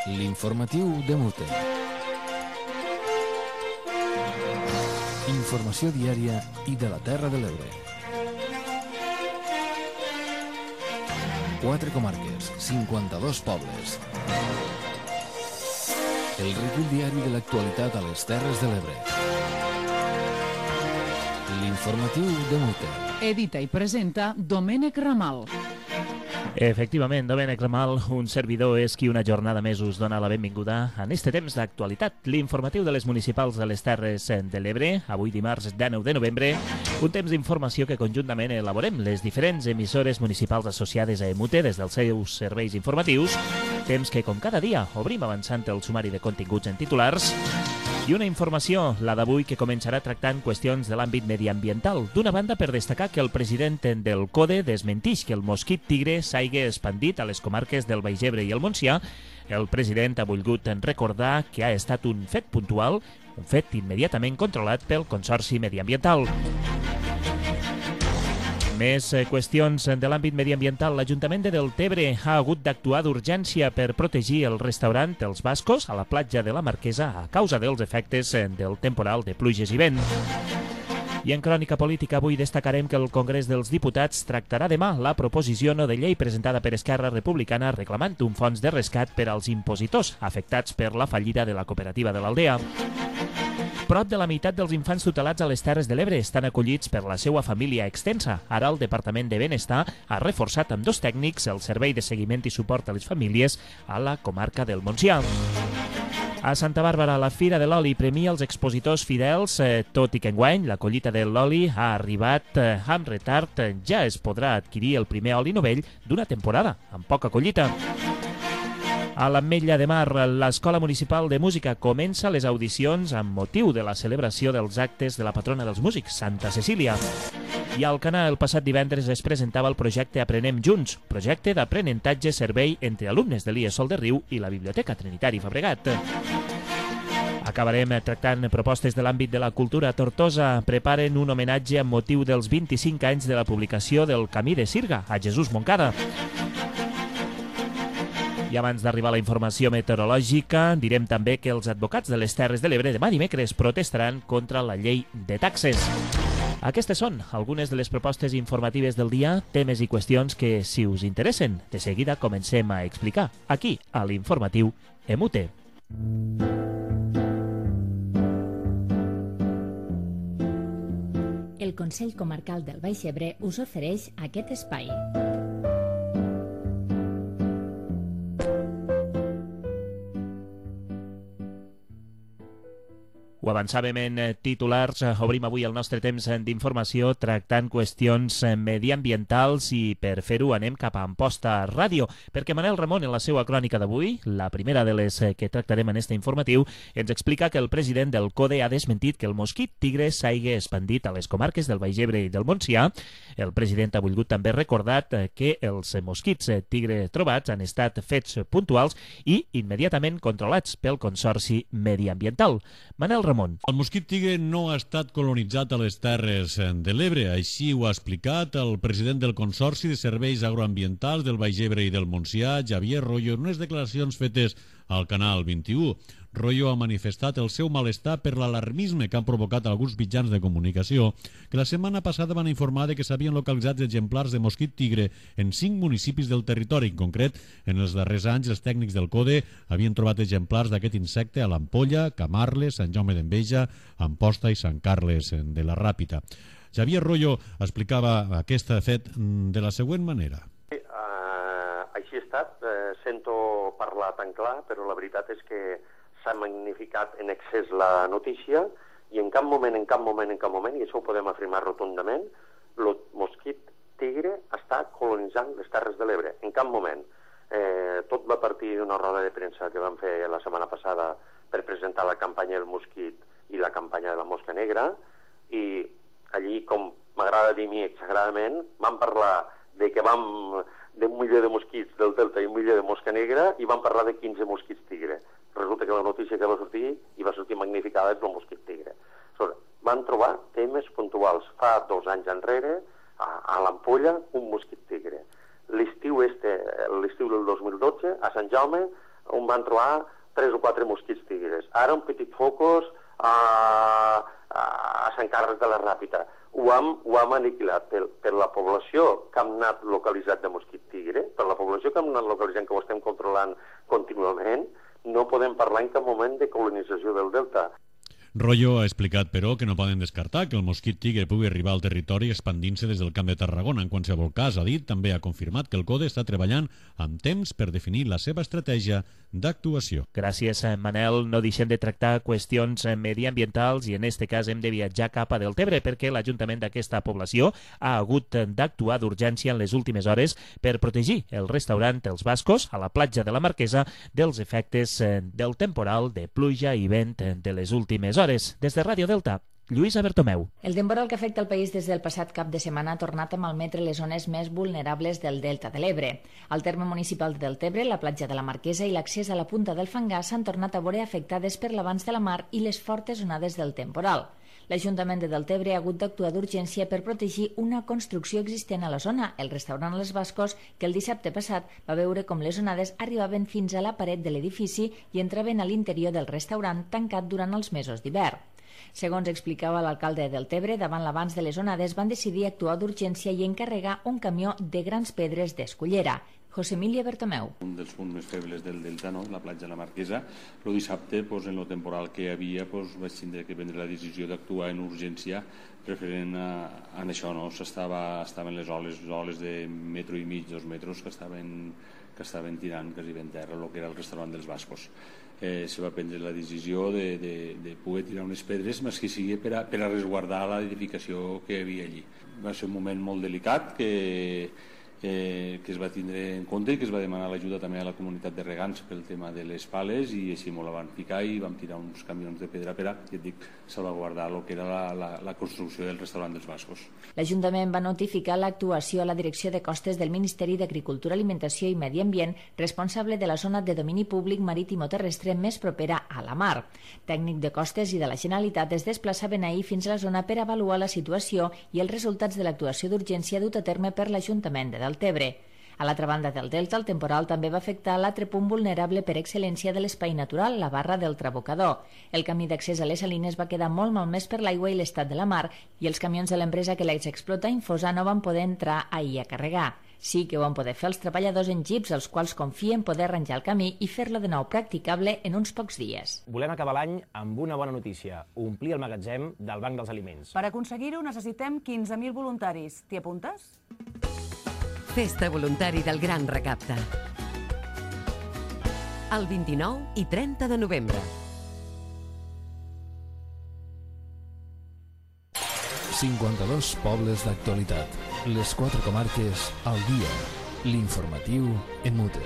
L'informatiu de Mute. Informació diària i de la Terra de l'Ebre. 4 comarques, 52 pobles. El recull diari de l'actualitat a les Terres de l'Ebre. L'informatiu de Mute. Edita i presenta Domènec Ramal. Efectivament, Domènec Ramal, un servidor, és qui una jornada més us dona la benvinguda en este temps d'actualitat, l'informatiu de les municipals de les Terres de l'Ebre, avui dimarts 19 de novembre, un temps d'informació que conjuntament elaborem les diferents emissores municipals associades a EMUTE des dels seus serveis informatius, temps que com cada dia obrim avançant el sumari de continguts en titulars, i una informació, la d'avui, que començarà tractant qüestions de l'àmbit mediambiental. D'una banda, per destacar que el president del CODE desmentix que el mosquit tigre s'hagi expandit a les comarques del Baix Ebre i el Montsià. El president ha volgut recordar que ha estat un fet puntual, un fet immediatament controlat pel Consorci Mediambiental. Més qüestions de l'àmbit mediambiental. L'Ajuntament de Deltebre ha hagut d'actuar d'urgència per protegir el restaurant Els Bascos a la platja de la Marquesa a causa dels efectes del temporal de pluges i vent. I en crònica política avui destacarem que el Congrés dels Diputats tractarà demà la proposició no de llei presentada per Esquerra Republicana reclamant un fons de rescat per als impositors afectats per la fallida de la cooperativa de l'Aldea. Prop de la meitat dels infants tutelats a les Terres de l'Ebre estan acollits per la seva família extensa. Ara el Departament de Benestar ha reforçat amb 2 tècnics el servei de seguiment i suport a les famílies a la comarca del Montsià. A Santa Bàrbara, la Fira de l'Oli premia els expositors fidels, tot i que enguany la collita de l'oli ha arribat amb retard. Ja es podrà adquirir el primer oli novell d'una temporada, amb poca collita. A l'Ametlla de Mar, l'Escola Municipal de Música comença les audicions amb motiu de la celebració dels actes de la patrona dels músics, Santa Cecília. I a Alcanar, el passat divendres es presentava el projecte Aprenem Junts, projecte d'aprenentatge-servei entre alumnes de l'IES Sol de Riu i la Biblioteca Trinitari Fabregat. Acabarem tractant propostes de l'àmbit de la cultura. A Tortosa preparen un homenatge amb motiu dels 25 anys de la publicació del Camí de Sirga, a Jesús Moncada. I abans d'arribar a la informació meteorològica, direm també que els advocats de les Terres de l'Ebre demà dimecres protestaran contra la llei de taxes. Aquestes són algunes de les propostes informatives del dia, temes i qüestions que, si us interessen, de seguida comencem a explicar aquí, a l'informatiu EMUTE. El Consell Comarcal del Baix Ebre us ofereix aquest espai. Ho avançàvem en titulars, obrim avui el nostre temps d'informació tractant qüestions mediambientals i per fer-ho anem cap a Amposta Ràdio, perquè Manel Ramon en la seva crònica d'avui, la primera de les que tractarem en este informatiu, ens explica que el president del CODE ha desmentit que el mosquit tigre s'hagi expandit a les comarques del Baix Ebre i del Montsià. El president ha volgut també recordar que els mosquits tigre trobats han estat fets puntuals i immediatament controlats pel Consorci Mediambiental. Manel Ramon. El mosquit tigre no ha estat colonitzat a les Terres de l'Ebre, així ho ha explicat el president del Consorci de Serveis Agroambientals del Baix Ebre i del Montsià, Xavier Royo, en unes declaracions fetes al Canal 21. Royo ha manifestat el seu malestar per l'alarmisme que han provocat alguns mitjans de comunicació que la setmana passada van informar de que s'havien localitzat exemplars de mosquit tigre en 5 municipis del territori. En concret, en els darrers anys, els tècnics del CODE havien trobat exemplars d'aquest insecte a l'Ampolla, Camarles, Sant Jaume d'Enveja, Amposta i Sant Carles de la Ràpita. Xavier Royo explicava aquest fet de la següent manera. Així ha estat, sento parlar tan clar, però la veritat és que s'ha magnificat en excés la notícia i en cap moment, i això ho podem afirmar rotundament, el mosquit tigre està colonitzant les Terres de l'Ebre, en cap moment. Tot va partir d'una roda de premsa que vam fer la setmana passada per presentar la campanya del mosquit i la campanya de la mosca negra, i allí, com m'agrada dir a mi exageradament, vam parlar de que d'un milió de mosquits del delta i un milió de mosca negra i vam parlar de 15 mosquits tigre. Resulta que la notícia que va sortir magnificada és el mosquit tigre. Van trobar temes puntuals. Fa 2 anys enrere, a l'Ampolla, un mosquit tigre. L'estiu del 2012, a Sant Jaume, on van trobar 3 o 4 mosquits tigres. Ara un petit focus a Sant Carles de la Ràpita. Ho hem aniquilat per la població que hem anat localitzat de mosquit tigre, per la població que hem anat localitzant, que ho estem controlant contínuament, no podem parlar en cap moment de colonització del delta. Royo ha explicat, però, que no poden descartar que el mosquit tigre pugui arribar al territori expandint-se des del Camp de Tarragona. En qualsevol cas, ha dit, també ha confirmat que el CODE està treballant amb temps per definir la seva estratègia d'actuació. Gràcies, Manel. No deixem de tractar qüestions mediambientals i en este cas hem de viatjar cap a Deltebre perquè l'Ajuntament d'aquesta població ha hagut d'actuar d'urgència en les últimes hores per protegir el restaurant Els Bascos a la platja de la Marquesa dels efectes del temporal de pluja i vent de les últimes hores. Des de Ràdio Delta, Lluïsa Bertomeu. El temporal que afecta el país des del passat cap de setmana ha tornat a malmetre les zones més vulnerables del Delta de l'Ebre. Al terme municipal de Deltebre, la platja de la Marquesa i l'accés a la punta del Fangar s'han tornat a veure afectades per l'avanç de la mar i les fortes onades del temporal. L'Ajuntament de Deltebre ha hagut d'actuar d'urgència per protegir una construcció existent a la zona, el restaurant Els Bascos, que el dissabte passat va veure com les onades arribaven fins a la paret de l'edifici i entraven a l'interior del restaurant tancat durant els mesos d'hivern. Segons explicava l'alcalde de Deltebre, davant l'avanç de les onades van decidir actuar d'urgència i encarregar un camió de grans pedres d'Escullera. José Emilio Bertomeu. Un dels punts més febles del Delta, no? La platja de la Marquesa. El dissabte, en el temporal que hi havia, vaig tindre que prendre la decisió d'actuar en urgència referent a això. No? Estaven les oles de metro i mig, 2 metres, que estaven tirant quasi ben terra el que era el restaurant dels Bascos. Se va prendre la decisió de poder tirar unes pedres, més que sigui per a resguardar l'edificació que hi havia allí. Va ser un moment molt delicat que es va tindre en compte i que es va demanar l'ajuda també a la comunitat de regants pel tema de les pales i així molt la van picar i vam tirar uns camions de pedra per a, ja et dic, salvaguardar el que era la construcció del restaurant dels Bascos. L'Ajuntament va notificar l'actuació a la Direcció de Costes del Ministeri d'Agricultura, Alimentació i Medi Ambient, responsable de la zona de domini públic marítim o terrestre més propera a la mar. Tècnic de Costes i de la Generalitat es desplaçaven ahir fins a la zona per avaluar la situació i els resultats de l'actuació d'urgència dut a terme per l'Ajuntament de Deltebre. A l'altra banda del Delta, el temporal també va afectar l'altre punt vulnerable per excel·lència de l'espai natural, la barra del Trabocador. El camí d'accés a les salines va quedar molt malmès per l'aigua i l'estat de la mar i els camions de l'empresa que l'explota Infosa no van poder entrar ahir a carregar. Sí que ho van poder fer els treballadors en jeeps, els quals confien poder arranjar el camí i fer-lo de nou practicable en uns pocs dies. Volem acabar l'any amb una bona notícia, omplir el magatzem del Banc dels Aliments. Per aconseguir-ho necessitem 15.000 voluntaris. T'hi apuntes? Festa voluntari del Gran Recapte. El 29 i 30 de novembre. 52 pobles d'actualitat. Les 4 comarques al dia. L'informatiu en mute.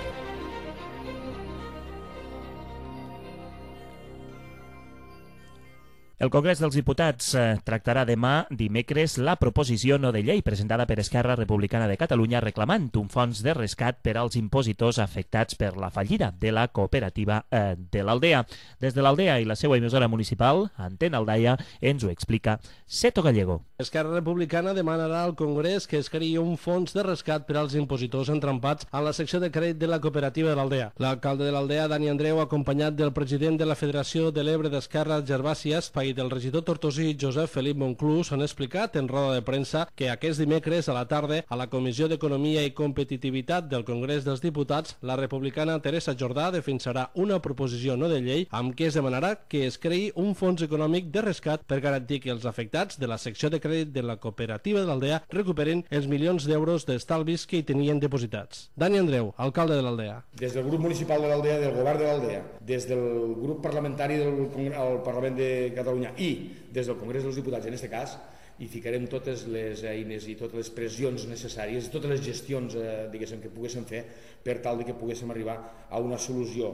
El Congrés dels Diputats tractarà demà, dimecres, la proposició no de llei presentada per Esquerra Republicana de Catalunya reclamant un fons de rescat per als impositors afectats per la fallida de la cooperativa de l'Aldea. Des de l'Aldea i la seva emissora municipal, Antena Aldaia, ens ho explica Seto Gallego. Esquerra Republicana demanarà al Congrés que es creï un fons de rescat per als impositors entrampats a la secció de crèdit de la cooperativa de l'Aldea. L'alcalde de l'Aldea, Dani Andreu, acompanyat del president de la Federació de l'Ebre d'Esquerra, Gervasi Espai, del regidor tortosí Josep Felip Monclús, han explicat en roda de premsa que aquest dimecres a la tarda a la Comissió d'Economia i Competitivitat del Congrés dels Diputats, la republicana Teresa Jordà defensarà una proposició no de llei amb què es demanarà que es creï un fons econòmic de rescat per garantir que els afectats de la secció de crèdit de la cooperativa de l'Aldea recuperen els milions d'euros d'estalvis que hi tenien depositats. Dani Andreu, alcalde de l'Aldea. Des del grup municipal de l'Aldea, del govern de l'Aldea, des del grup parlamentari del Parlament de Catalunya i des del Congrés dels Diputats, en aquest cas, hi ficarem totes les eines i totes les pressions necessàries, totes les gestions que poguéssim fer per tal que poguéssim arribar a una solució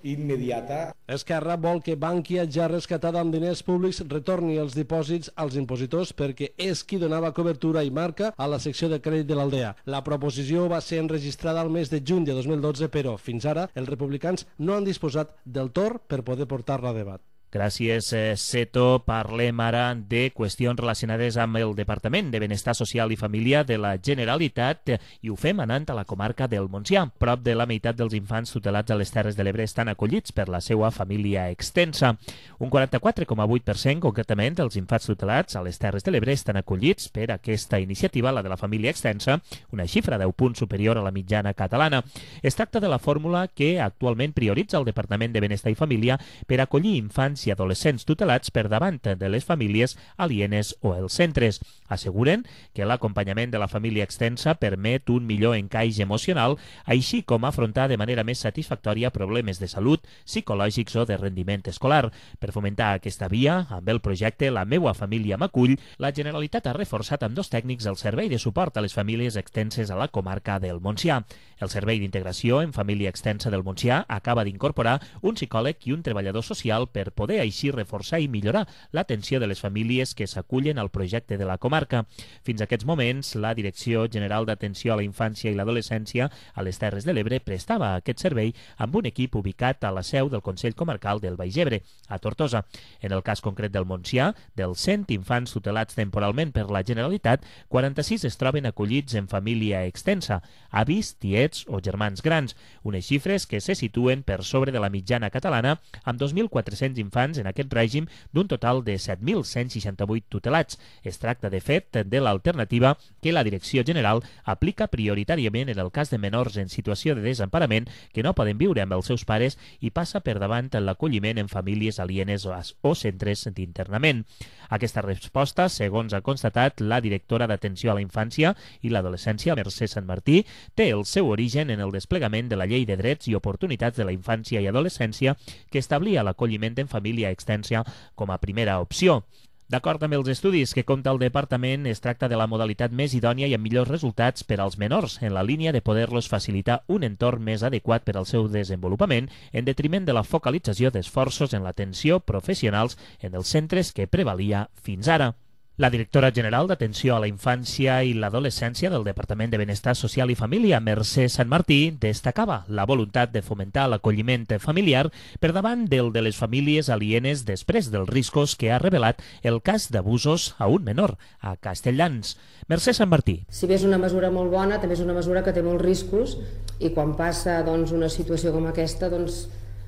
immediata. Esquerra vol que Bankia, ja rescatada amb diners públics, retorni els dipòsits als impositors perquè és qui donava cobertura i marca a la secció de crèdit de l'Aldea. La proposició va ser enregistrada al mes de juny de 2012, però fins ara els republicans no han disposat del torn per poder portar-la a debat. Gràcies, Seto. Parlem ara de qüestions relacionades amb el Departament de Benestar Social i Família de la Generalitat i ho fem anant a la comarca del Montsià. Prop de la meitat dels infants tutelats a les Terres de l'Ebre estan acollits per la seva família extensa. Un 44,8% concretament dels infants tutelats a les Terres de l'Ebre estan acollits per aquesta iniciativa, la de la família extensa, una xifra 10 punts superior a la mitjana catalana. Es tracta de la fórmula que actualment prioritza el Departament de Benestar i Família per acollir infants i adolescents tutelats per davant de les famílies alienes o els centres. Asseguren que l'acompanyament de la família extensa permet un millor encaix emocional, així com afrontar de manera més satisfactòria problemes de salut, psicològics o de rendiment escolar. Per fomentar aquesta via, amb el projecte La meua família m'acull, la Generalitat ha reforçat amb 2 tècnics el servei de suport a les famílies extenses a la comarca del Montsià. El Servei d'Integració en Família Extensa del Montsià acaba d'incorporar un psicòleg i un treballador social per poder així reforçar i millorar l'atenció de les famílies que s'acullen al projecte de la comarca. Fins a aquests moments, la Direcció General d'Atenció a la Infància i l'Adolescència a les Terres de l'Ebre prestava aquest servei amb un equip ubicat a la seu del Consell Comarcal del Baix Ebre, a Tortosa. En el cas concret del Montsià, dels 100 infants tutelats temporalment per la Generalitat, 46 es troben acollits en família extensa, avis, tiets o germans grans, unes xifres que se situen per sobre de la mitjana catalana, amb 2.400 infants en aquest règim d'un total de 7.168 tutelats. Es tracta, de fet, de l'alternativa que la Direcció General aplica prioritàriament en el cas de menors en situació de desemparament que no poden viure amb els seus pares i passa per davant l'acolliment en famílies alienes o centres d'internament. Aquesta resposta, segons ha constatat la directora d'Atenció a la Infància i l'Adolescència, Mercè Sant Martí, té el seu origen en el desplegament de la Llei de Drets i Oportunitats de la Infància i Adolescència que establia l'acolliment en família extensa com a primera opció. D'acord amb els estudis que compta el Departament, es tracta de la modalitat més idònia i amb millors resultats per als menors, en la línia de poder-los facilitar un entorn més adequat per al seu desenvolupament, en detriment de la focalització d'esforços en l'atenció professionals en els centres que prevalia fins ara. La directora general d'Atenció a la Infància i l'Adolescència del Departament de Benestar Social i Família, Mercè Sant Martí, destacava la voluntat de fomentar l'acolliment familiar per davant del de les famílies alienes després dels riscos que ha revelat el cas d'abusos a un menor a Castelldans. Mercè Sant Martí. Si bé és una mesura molt bona, també és una mesura que té molts riscos i quan passa una situació com aquesta,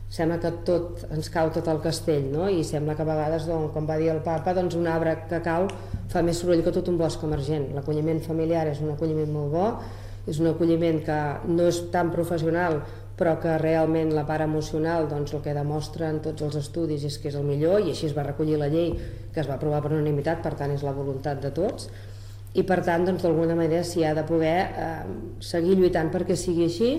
sembla que tot ens cau tot el castell, no? I sembla que a vegades, com va dir el papa, un arbre que cau fa més soroll que tot un bosc emergent. L'acolliment familiar és un acolliment molt bo, és un acolliment que no és tan professional, però que realment la part emocional, el que demostren tots els estudis és que és el millor, i així es va recollir la llei que es va aprovar per unanimitat, per tant és la voluntat de tots, i per tant d'alguna manera s'hi ha de poder seguir lluitant perquè sigui així.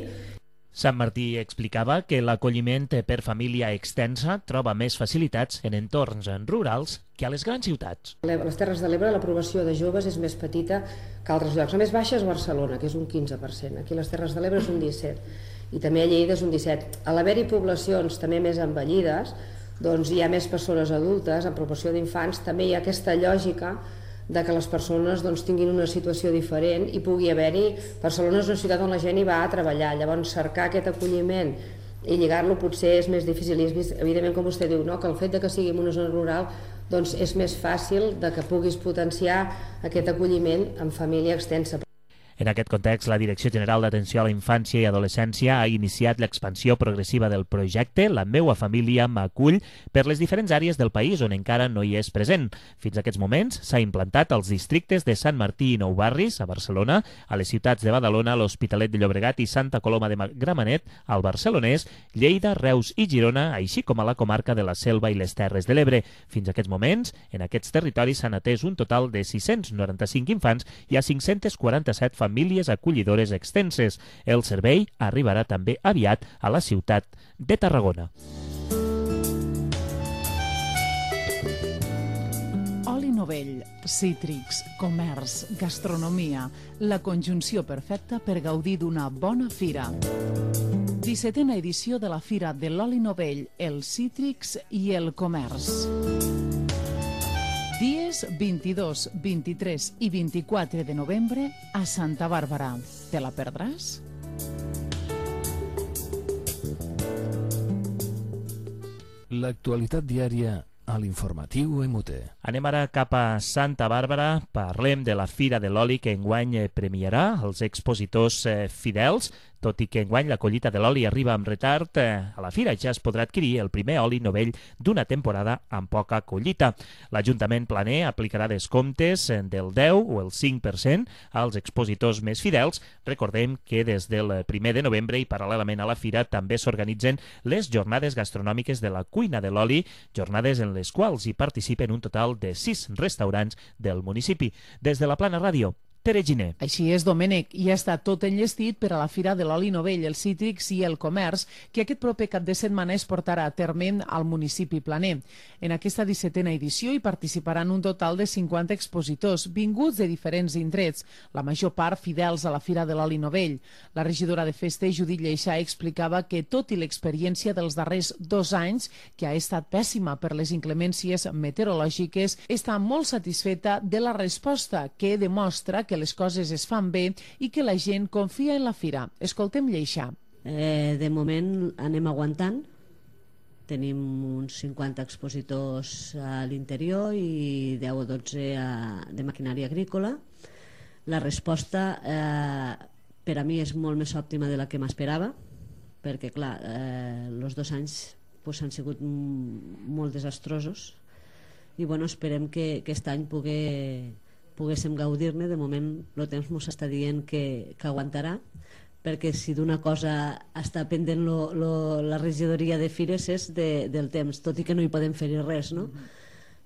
Sant Martí explicava que l'acolliment per família extensa troba més facilitats en entorns rurals que a les grans ciutats. A les Terres de l'Ebre l'aprovació de joves és més petita que altres llocs. La més baixa és Barcelona, que és un 15%. Aquí a les Terres de l'Ebre és un 17%. I també a Lleida és un 17%. A l'haver-hi poblacions també més envellides, hi ha més persones adultes, en proporció d'infants, també hi ha aquesta lògica de que les persones tinguin una situació diferent i pugui haver-hi... Barcelona és una ciutat on la gent hi va a treballar, llavors cercar aquest acolliment i lligar-lo potser és més difícil. I és vist, evidentment, com vostè diu, que el fet de que sigui en una zona rural és més fàcil de que puguis potenciar aquest acolliment en família extensa. En aquest context, la Direcció General d'Atenció a la Infància i Adolescència ha iniciat l'expansió progressiva del projecte La meua família m'acull per les diferents àrees del país on encara no hi és present. Fins a aquests moments s'ha implantat als districtes de Sant Martí i Nou Barris, a Barcelona, a les ciutats de Badalona, l'Hospitalet de Llobregat i Santa Coloma de Gramenet, al Barcelonès, Lleida, Reus i Girona, així com a la comarca de la Selva i les Terres de l'Ebre. Fins a aquests moments, en aquests territoris s'han atès un total de 695 infants i a 547 famílies acollidores extenses. El servei arribarà també aviat a la ciutat de Tarragona. Oli novell, cítrics, comerç, gastronomia, la conjunció perfecta per gaudir d'una bona fira. 17a edició de la Fira de l'Oli Novell, els cítrics i el comerç. Dies 22, 23 i 24 de novembre a Santa Bàrbara. Te la perdràs? L'actualitat diària a l'informatiu MUT. Anem ara cap a Santa Bàrbara. Parlem de la Fira de l'Oli que enguany premiarà els expositors fidels. Tot i que enguany la collita de l'oli arriba amb retard, a la fira ja es podrà adquirir el primer oli novell d'una temporada amb poca collita. L'Ajuntament planer aplicarà descomptes del 10 o el 5% als expositors més fidels. Recordem que des del 1 de novembre i paral·lelament a la fira també s'organitzen les jornades gastronòmiques de la cuina de l'oli, jornades en les quals hi participen un total de 6 restaurants del municipi. Des de la Plana Ràdio, Tere Giner. Així és, Domènec, i ja està tot enllestit per a la Fira de l'Oli Novell, els cítrics i el comerç, que aquest proper cap de setmana es portarà a terme al municipi planer. En aquesta 17a edició hi participaran un total de 50 expositors, vinguts de diferents indrets, la major part fidels a la Fira de l'Oli Novell. La regidora de Festa, Judit Lleixà, explicava que, tot i l'experiència dels darrers 2 anys, que ha estat pèssima per les inclemències meteorològiques, està molt satisfeta de la resposta, que demostra que les coses es fan bé i que la gent confia en la fira. Escoltem Lleixà. De moment anem aguantant. Tenim uns 50 expositors a l'interior i 10 o 12 de maquinària agrícola. La resposta per a mi és molt més òptima de la que m'esperava, perquè clar, els 2 anys han sigut molt desastrosos i esperem que aquest any poguéssim gaudir-ne. De moment el temps ens està dient que aguantarà, perquè si d'una cosa està pendent la regidoria de fires és del temps, tot i que no hi podem fer res, no?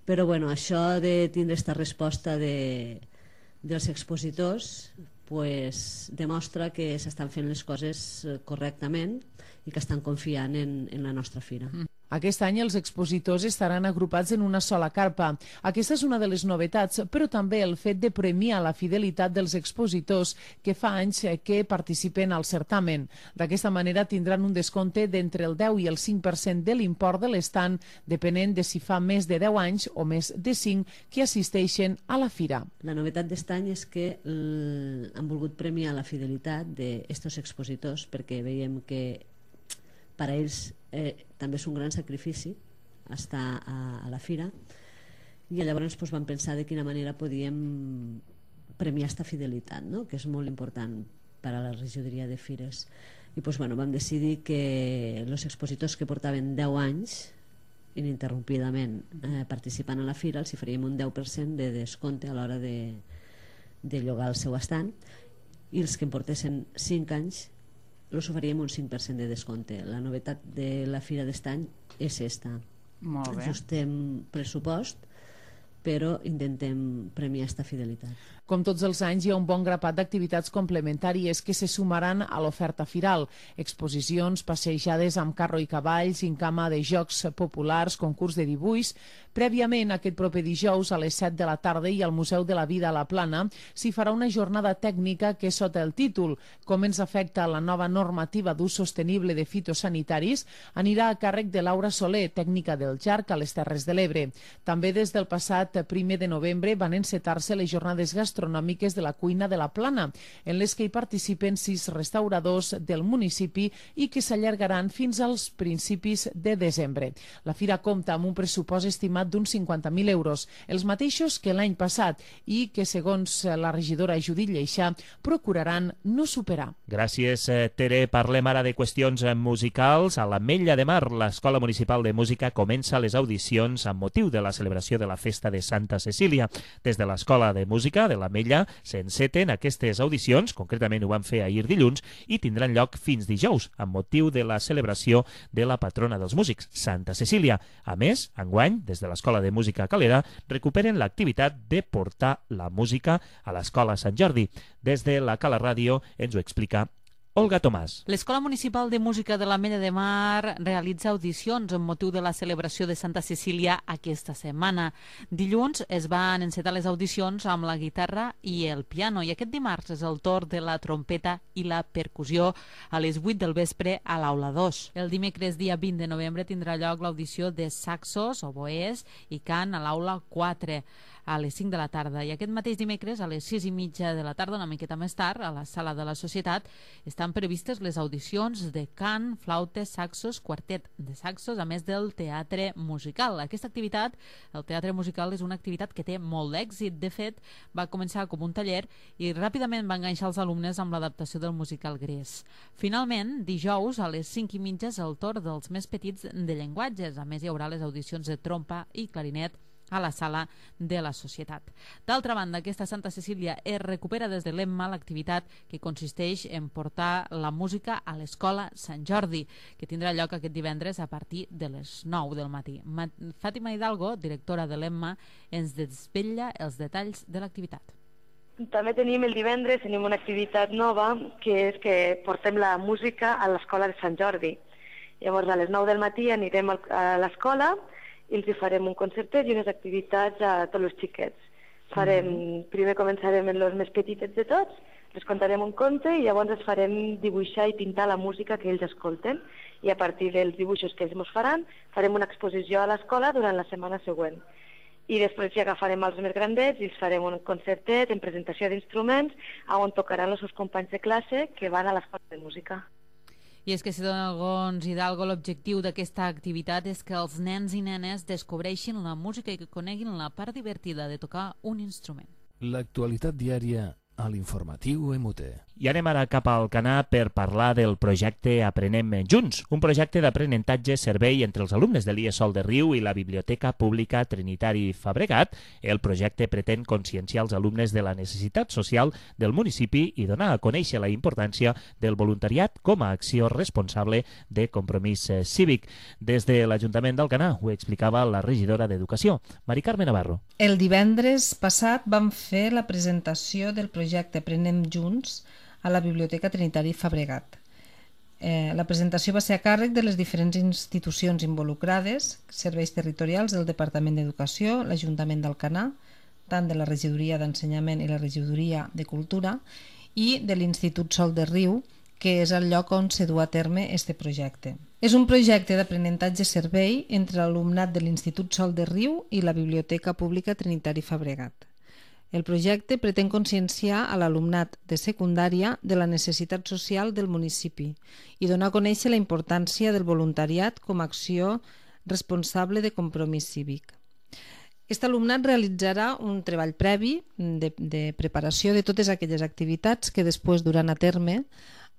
Però això de tindre aquesta resposta dels expositors demostra que s'estan fent les coses correctament i que estan confiant en la nostra fira. Aquest any els expositors estaran agrupats en una sola carpa. Aquesta és una de les novetats, però també el fet de premiar la fidelitat dels expositors que fa anys que participen al certamen. D'aquesta manera tindran un descompte d'entre el 10 i el 5% de l'import de l'estant, depenent de si fa més de 10 anys o més de 5 que assisteixen a la fira. La novetat d'aquest any és que han volgut premiar la fidelitat d'aquests expositors, perquè veiem que per a ells també és un gran sacrifici estar a la fira, i llavors vam pensar de quina manera podíem premiar aquesta fidelitat, no? Que és molt important per a la regidoria de fires. I vam decidir que els expositors que portaven 10 anys ininterrompidament participant a la fira els hi faríem un 10% de descompte a l'hora de llogar el seu estant, i els que en portessin 5 anys els oferíem un 5% de descompte. La novetat de la fira d'est any és esta. Molt bé. Ajustem pressupost, però intentem premiar aquesta fidelitat. Com tots els anys, hi ha un bon grapat d'activitats complementàries que se sumaran a l'oferta firal. Exposicions, passejades amb carro i cavalls, gincama de jocs populars, concurs de dibuix. Prèviament, aquest proper dijous, a les 7 de la tarda, i al Museu de la Vida a la Plana, s'hi farà una jornada tècnica que, sota el títol "Com ens afecta la nova normativa d'ús sostenible de fitosanitaris", anirà a càrrec de Laura Soler, tècnica del JARC a les Terres de l'Ebre. També des del passat 1 de novembre van encetar-se les jornades gastronòmiques de la cuina de la Plana, en les que hi participen 6 restauradors del municipi i que s'allargaran fins als principis de desembre. La fira compta amb un pressupost estimat d'uns 50.000 euros, els mateixos que l'any passat, i que, segons la regidora Judit Lleixà, procuraran no superar. Gràcies, Tere. Parlem ara de qüestions musicals. A l'Ametlla de Mar, l'Escola Municipal de Música comença les audicions amb motiu de la celebració de la festa de Santa Cecília. Des de l'Escola de Música de l'Ametlla s'enceten aquestes audicions, concretament ho van fer ahir dilluns, i tindran lloc fins dijous, amb motiu de la celebració de la patrona dels músics, Santa Cecília. A més, enguany, des de l'Escola de Música Calera, recuperen l'activitat de portar la música a l'Escola Sant Jordi. Des de la Cala Ràdio ens ho explica Olga Tomàs. L'Escola Municipal de Música de l'Ametlla de Mar realitza audicions amb motiu de la celebració de Santa Cecília aquesta setmana. Dilluns es van encetar les audicions amb la guitarra i el piano, i aquest dimarts és el torn de la trompeta i la percussió a les 8 del vespre a l'Aula 2. El dimecres, dia 20 de novembre, tindrà lloc l'audició de saxos, oboès i cant a l'Aula 4. a les 5 de la tarda. I aquest mateix dimecres, a les 6:30 de la tarda, una miqueta més tard, a la Sala de la Societat, estan previstes les audicions de cant, flautes, saxos, quartet de saxos, a més del teatre musical. Aquesta activitat, el teatre musical, és una activitat que té molt d'èxit. De fet, va començar com un taller i ràpidament va enganxar els alumnes amb l'adaptació del musical Gres. Finalment, dijous, a les 5:30, és el torn dels més petits de llenguatges. A més, hi haurà les audicions de trompa i clarinet a la Sala de la Societat. D'altra banda, aquesta Santa Cecília es recupera des de l'EMMA l'activitat que consisteix en portar la música a l'Escola Sant Jordi, que tindrà lloc aquest divendres a partir de les 9 del matí. Fàtima Hidalgo, directora de l'EMMA, ens desvetlla els detalls de l'activitat. També tenim el divendres una activitat nova, que és que portem la música a l'Escola de Sant Jordi. Llavors, a les 9 del matí anirem a l'escola i els farem un concertet i unes activitats a tots els xiquets. Primer començarem amb els més petitets de tots, els contarem un conte i llavors els farem dibuixar i pintar la música que ells escolten, i a partir dels dibuixos que ells ens faran farem una exposició a l'escola durant la setmana següent. I després ja agafarem els més grandets i els farem un concertet en presentació d'instruments on tocaran els seus companys de classe que van a l'escola de música. I és que, segons Hidalgo, l'objectiu d'aquesta activitat és que els nens i nenes descobreixin la música i que coneguin la part divertida de tocar un instrument. L'actualitat diària a l'informatiu MUT. I anem ara cap al Alcanar per parlar del projecte Aprenem Junts, un projecte d'aprenentatge-servei entre els alumnes de l'IES Sol de Riu i la Biblioteca Pública Trinitari Fabregat. El projecte pretén conscienciar els alumnes de la necessitat social del municipi i donar a conèixer la importància del voluntariat com a acció responsable de compromís cívic. Des de l'Ajuntament d'Alcanar ho explicava la regidora d'Educació, Mari Carme Navarro. El divendres passat vam fer la presentació del projecte Aprenem Junts a la Biblioteca Trinitari Fabregat. La presentació va ser a càrrec de les diferents institucions involucrades, serveis territorials del Departament d'Educació, l'Ajuntament d'Alcanar, tant de la Regidoria d'Ensenyament i la Regidoria de Cultura, i de l'Institut Sol de Riu, que és el lloc on se du a terme aquest projecte. És un projecte d'aprenentatge-servei entre l'alumnat de l'Institut Sol de Riu i la Biblioteca Pública Trinitari Fabregat. El projecte pretén conscienciar a l'alumnat de secundària de la necessitat social del municipi i donar a conèixer la importància del voluntariat com a acció responsable de compromís cívic. Aquest alumnat realitzarà un treball previ de preparació de totes aquelles activitats que després duran a terme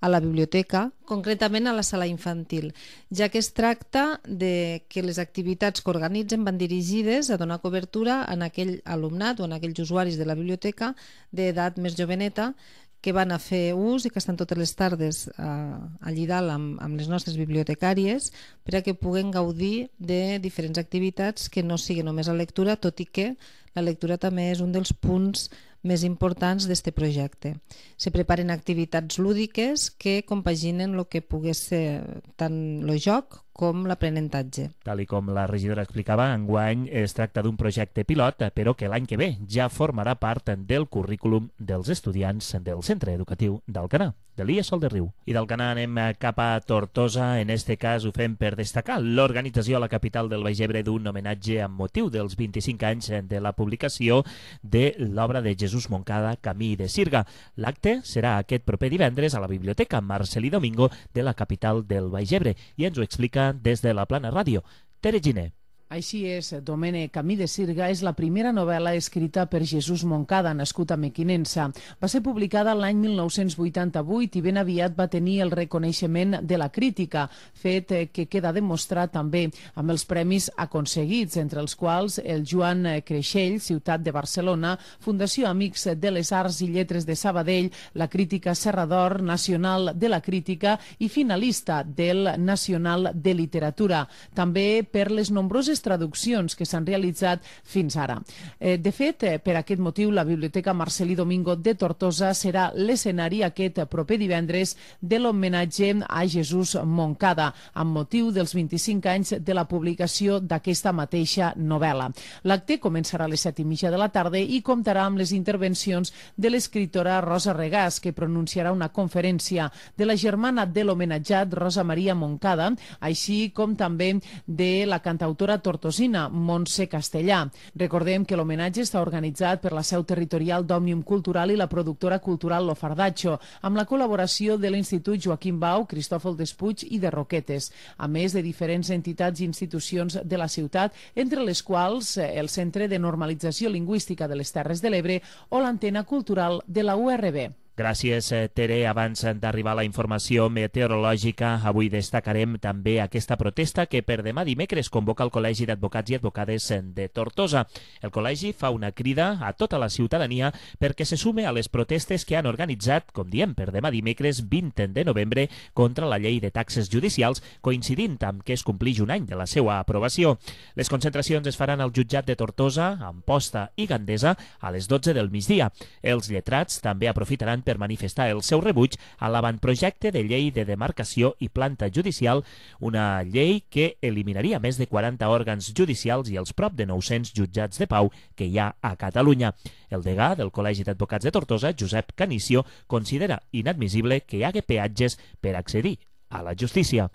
a la biblioteca, concretament a la sala infantil, ja que es tracta de que les activitats que organitzen van dirigides a donar cobertura en aquell alumnat o en aquells usuaris de la biblioteca d'edat més joveneta que van a fer ús i que estan totes les tardes allí dalt amb les nostres bibliotecàries per a que puguen gaudir de diferents activitats que no sigui només la lectura, tot i que la lectura també és un dels punts més importants d'aquest projecte. Se preparen activitats lúdiques que compaginen el que pogués ser tant el joc com l'aprenentatge. Tal i com la regidora explicava, enguany es tracta d'un projecte pilot, però que l'any que ve ja formarà part del currículum dels estudiants del Centre Educatiu d'Alcanar, de l'IES Sol de Riu. I d'Alcanar anem cap a Tortosa, en este cas ho fem per destacar l'organització a la capital del Baix Ebre d'un homenatge amb motiu dels 25 anys de la publicació de l'obra de Jesús Moncada, Camí de Sirga. L'acte serà aquest proper divendres a la Biblioteca Marcelí Domingo de la capital del Baix Ebre i ens ho explica des de la Plana Ràdio, Tere Giner. Així és, Domènec Camí de Sirga és la primera novel·la escrita per Jesús Moncada, nascut a Mequinensa. Va ser publicada l'any 1988 i ben aviat va tenir el reconeixement de la crítica, fet que queda demostrat també amb els premis aconseguits, entre els quals el Joan Creixell, Ciutat de Barcelona, Fundació Amics de les Arts i Lletres de Sabadell, la Crítica Serra d'Or, Nacional de la Crítica i finalista del Nacional de Literatura. També per les nombroses traduccions que s'han realitzat fins ara. De fet, per aquest motiu, la Biblioteca Marcelí Domingo de Tortosa serà l'escenari aquest proper divendres de l'homenatge a Jesús Moncada, amb motiu dels 25 anys de la publicació d'aquesta mateixa novel·la. L'acte començarà a les 7:30 de la tarda i comptarà amb les intervencions de l'escriptora Rosa Regàs, que pronunciarà una conferència, de la germana de l'homenatjat Rosa Maria Moncada, així com també de la cantautora tortosina, Montse Castellà. Recordem que l'homenatge està organitzat per la seu territorial d'Òmnium Cultural i la productora cultural Lo Fardatxo, amb la col·laboració de l'Institut Joaquim Bau, Cristòfol Despuig i de Roquetes, a més de diferents entitats i institucions de la ciutat, entre les quals el Centre de Normalització Lingüística de les Terres de l'Ebre o l'Antena Cultural de la URB. Gràcies, Tere. Abans d'arribar a la informació meteorològica, avui destacarem també aquesta protesta que per demà dimecres convoca el Col·legi d'Advocats i Advocades de Tortosa. El col·legi fa una crida a tota la ciutadania perquè se sume a les protestes que han organitzat, com diem, per demà dimecres 20 de novembre contra la llei de taxes judicials, coincidint amb que es complix un any de la seva aprovació. Les concentracions es faran al jutjat de Tortosa, Amposta i Gandesa a les 12 del migdia. Els lletrats també aprofitaran per manifestar el seu rebuig a l'avantprojecte de llei de demarcació i planta judicial, una llei que eliminaria més de 40 òrgans judicials i els prop de 900 jutjats de pau que hi ha a Catalunya. El degà del Col·legi d'Advocats de Tortosa, Josep Canicio, considera inadmissible que hi hagi peatges per accedir a la justícia.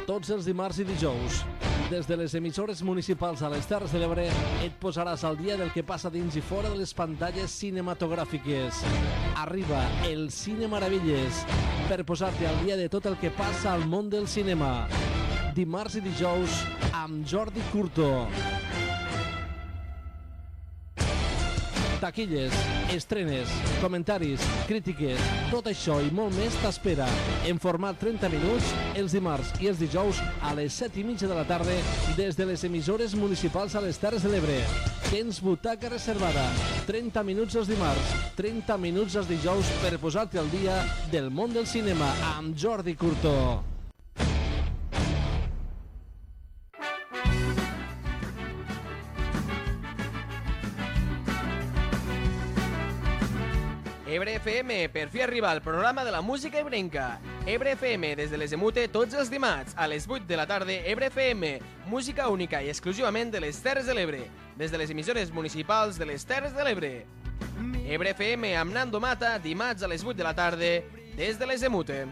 Tots els dimarts i dijous, des de les emissores municipals a les Terres de l'Ebre, et posaràs al dia del que passa dins i fora de les pantalles cinematogràfiques. Arriba el Cine Meravelles per posar-te al dia de tot el que passa al món del cinema. Dimarts i dijous amb Jordi Curto. Taquilles, estrenes, comentaris, crítiques, tot això i molt més t'espera en format 30 minuts els dimarts i els dijous a les 7:30 de la tarda des de les emissores municipals a les Terres de l'Ebre. Tens butaca reservada, 30 minuts els dimarts, 30 minuts els dijous per posar-te al dia del món del cinema amb Jordi Curto. Ebre FM, per fi arriba al programa de la música ebrenca. Ebre FM, des de les Emute, tots els dimarts, a les 8 de la tarda, Ebre FM, música única i exclusivament de les Terres de l'Ebre, des de les emissores municipals de les Terres de l'Ebre. Ebre FM amb Nando Mata, dimarts a les 8 de la tarda, des de les Emute.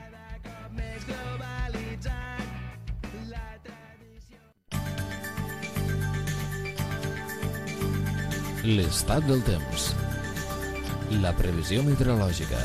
L'estat del temps. La previsió meteorològica.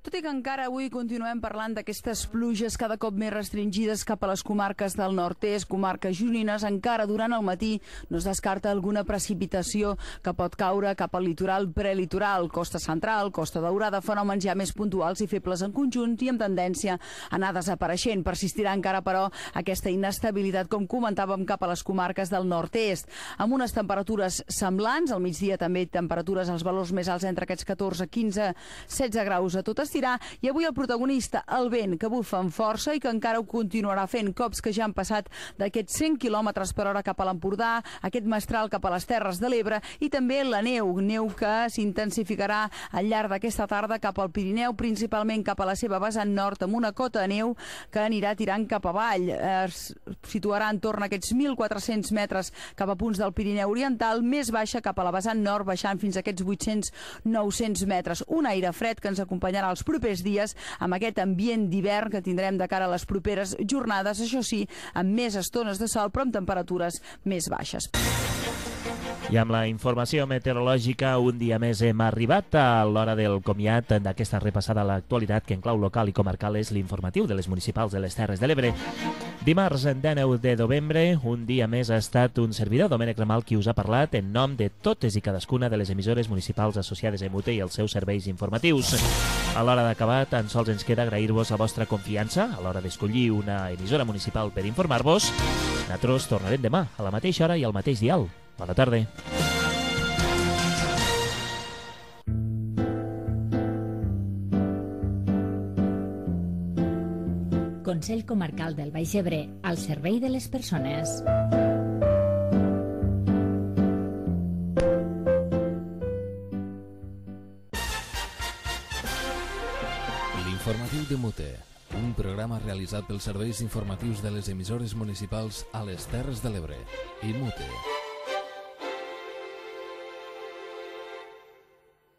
Tot i que encara avui continuem parlant d'aquestes pluges cada cop més restringides cap a les comarques del nord-est, comarques gironines, encara durant el matí no es descarta alguna precipitació que pot caure cap al litoral prelitoral, costa central, costa daurada, fenòmens ja més puntuals i febles en conjunt i amb tendència a anar desapareixent. Persistirà encara, però, aquesta inestabilitat, com comentàvem, cap a les comarques del nord-est, amb unes temperatures semblants, al migdia també temperatures als valors més alts entre aquests 14, 15, 16 graus a tot estirar, i avui el protagonista, el vent, que bufa amb força i que encara ho continuarà fent, cops que ja han passat d'aquests 100 km per hora cap a l'Empordà, aquest mestral cap a les Terres de l'Ebre, i també la neu que s'intensificarà al llarg d'aquesta tarda cap al Pirineu, principalment cap a la seva vessant nord, amb una cota de neu que anirà tirant cap avall. Es situarà en torn a aquests 1.400 metres cap a punts del Pirineu Oriental, més baixa cap a la vessant nord, baixant fins a aquests 800-900 metres. Un aire fred que ens acompanyarà els propers dies amb aquest ambient d'hivern que tindrem de cara a les properes jornades, això sí, amb més estones de sol però amb temperatures més baixes. I amb la informació meteorològica, un dia més hem arribat a l'hora del comiat d'aquesta repassada a l'actualitat que en clau local i comarcal és l'informatiu de les municipals de les Terres de l'Ebre. Dimarts, 19 de novembre, un dia més ha estat un servidor, Domènec Ramal, qui us ha parlat en nom de totes i cadascuna de les emissores municipals associades a Emute i els seus serveis informatius. A l'hora d'acabar, tan sols ens queda agrair-vos la vostra confiança a l'hora d'escollir una emissora municipal per informar-vos. Nosaltres tornarem demà a la mateixa hora i al mateix dial. Bona tarda. Consell Comarcal del Baix Ebre, al servei de les persones. L'informatiu de Mute, un programa realitzat pels serveis informatius de les emissores municipals a les Terres de l'Ebre i Mute.